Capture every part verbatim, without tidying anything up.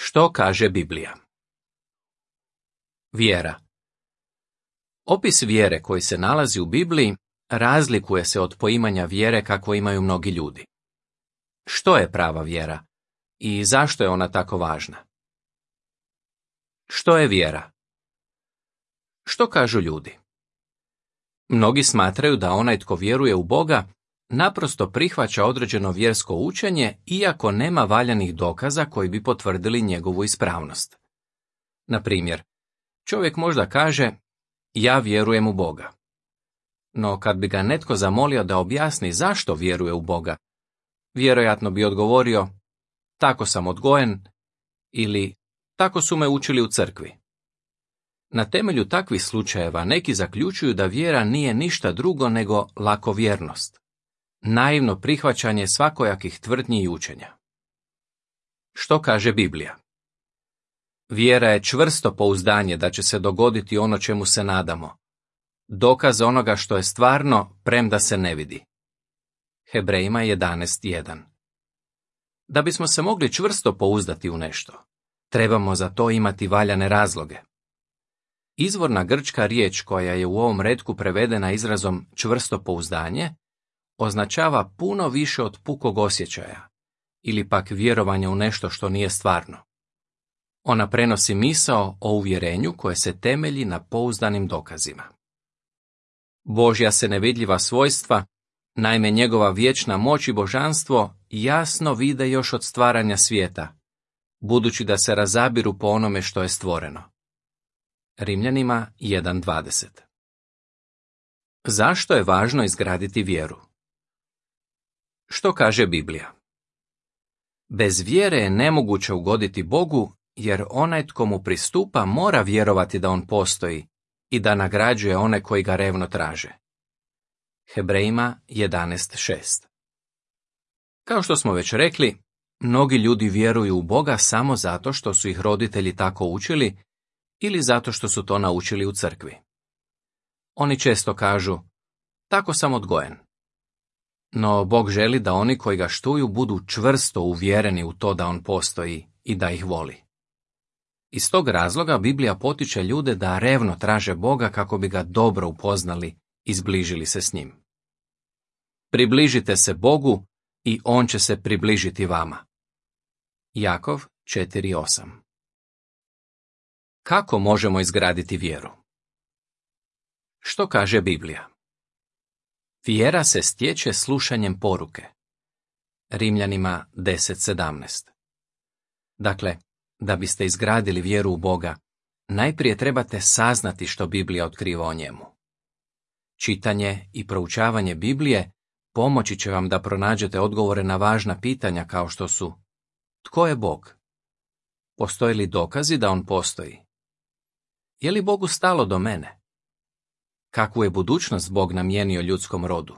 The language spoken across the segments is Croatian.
Što kaže Biblija? Vjera. Opis vjere koji se nalazi u Bibliji razlikuje se od poimanja vjere kako imaju mnogi ljudi. Što je prava vjera i zašto je ona tako važna? Što je vjera? Što kažu ljudi? Mnogi smatraju da onaj tko vjeruje u Boga naprosto prihvaća određeno vjersko učenje iako nema valjanih dokaza koji bi potvrdili njegovu ispravnost. Na primjer, čovjek možda kaže, ja vjerujem u Boga. No kad bi ga netko zamolio da objasni zašto vjeruje u Boga, vjerojatno bi odgovorio, tako sam odgojen ili tako su me učili u crkvi. Na temelju takvih slučajeva neki zaključuju da vjera nije ništa drugo nego lakovjernost, naivno prihvaćanje svakojakih tvrdnji i učenja. Što kaže Biblija? Vjera je čvrsto pouzdanje da će se dogoditi ono čemu se nadamo, dokaz onoga što je stvarno, premda se ne vidi. Hebrejima jedanaest jedan. Da bismo se mogli čvrsto pouzdati u nešto, trebamo za to imati valjane razloge. Izvorna grčka riječ koja je u ovom retku prevedena izrazom čvrsto pouzdanje označava puno više od pukog osjećaja ili pak vjerovanja u nešto što nije stvarno. Ona prenosi misao o uvjerenju koje se temelji na pouzdanim dokazima. Božja se nevidljiva svojstva, naime njegova vječna moć i božanstvo, jasno vide još od stvaranja svijeta, budući da se razabiru po onome što je stvoreno. Rimljanima jedan dvadeset. Zašto je važno izgraditi vjeru? Što kaže Biblija? Bez vjere je nemoguće ugoditi Bogu, jer onaj tko mu pristupa mora vjerovati da on postoji i da nagrađuje one koji ga revno traže. Hebrejima jedanaest šest. Kao što smo već rekli, mnogi ljudi vjeruju u Boga samo zato što su ih roditelji tako učili ili zato što su to naučili u crkvi. Oni često kažu, tako sam odgojen. No Bog želi da oni koji ga štuju budu čvrsto uvjereni u to da on postoji i da ih voli. Iz tog razloga Biblija potiče ljude da revno traže Boga kako bi ga dobro upoznali i zbližili se s njim. Približite se Bogu i on će se približiti vama. Jakov četiri osam. Kako možemo izgraditi vjeru? Što kaže Biblija? Vjera se stječe slušanjem poruke. Rimljanima deset sedamnaest. Dakle, da biste izgradili vjeru u Boga, najprije trebate saznati što Biblija otkriva o njemu. Čitanje i proučavanje Biblije pomoći će vam da pronađete odgovore na važna pitanja kao što su: tko je Bog? Postoje li dokazi da on postoji? Je li Bogu stalo do mene? Kakvu je budućnost Bog namijenio ljudskom rodu?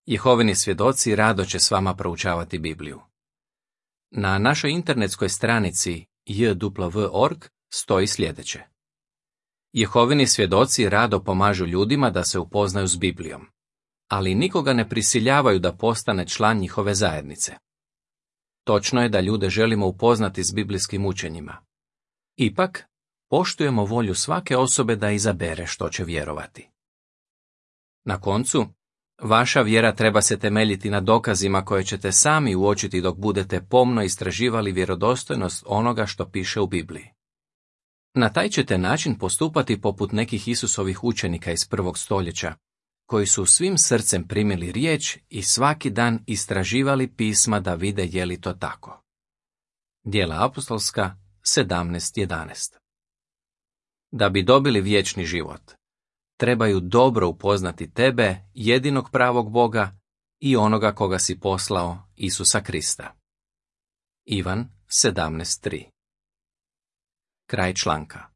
Jehovini svjedoci rado će s vama proučavati Bibliju. Na našoj internetskoj stranici j w w dot org stoji sljedeće. Jehovini svjedoci rado pomažu ljudima da se upoznaju s Biblijom, ali nikoga ne prisiljavaju da postane član njihove zajednice. Točno je da ljude želimo upoznati s biblijskim učenjima. Ipak, poštujemo volju svake osobe da izabere što će vjerovati. Na koncu, vaša vjera treba se temeljiti na dokazima koje ćete sami uočiti dok budete pomno istraživali vjerodostojnost onoga što piše u Bibliji. Na taj ćete način postupati poput nekih Isusovih učenika iz prvog stoljeća, koji su svim srcem primili riječ i svaki dan istraživali pisma da vide je li to tako. Djela apostolska sedamnaest jedanaest. Da bi dobili vječni život, trebaju dobro upoznati tebe, jedinog pravog Boga, i onoga koga si poslao, Isusa Krista. Ivan sedamnaest tri. Kraj članka.